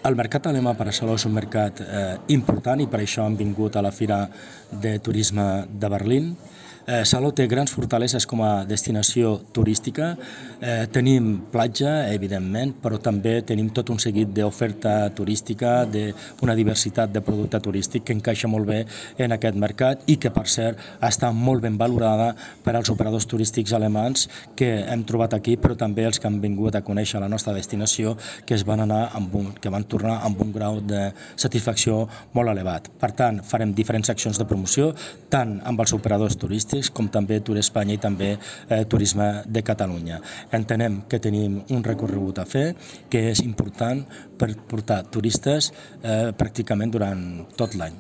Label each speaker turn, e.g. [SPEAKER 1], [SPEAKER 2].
[SPEAKER 1] El mercat alemà per a Salou és un mercat important i per això hem vingut a la Fira de Turisme de Berlín. Salou té grans fortaleses com a destinació turística. Tenim platja, evidentment, però també tenim tot un seguit d'oferta turística, d'una diversitat de producte turístic que encaixa molt bé en aquest mercat i que, per cert, està molt ben valorada per als operadors turístics alemans que hem trobat aquí, però també els que han vingut a conèixer la nostra destinació, que van tornar amb un grau de satisfacció molt elevat. Per tant, farem diferents accions de promoció, tant amb els operadors turístics com també Tour Espanya i també Turisme de Catalunya. Entenem que tenim un recorregut a fer que és important per portar turistes pràcticament durant tot l'any.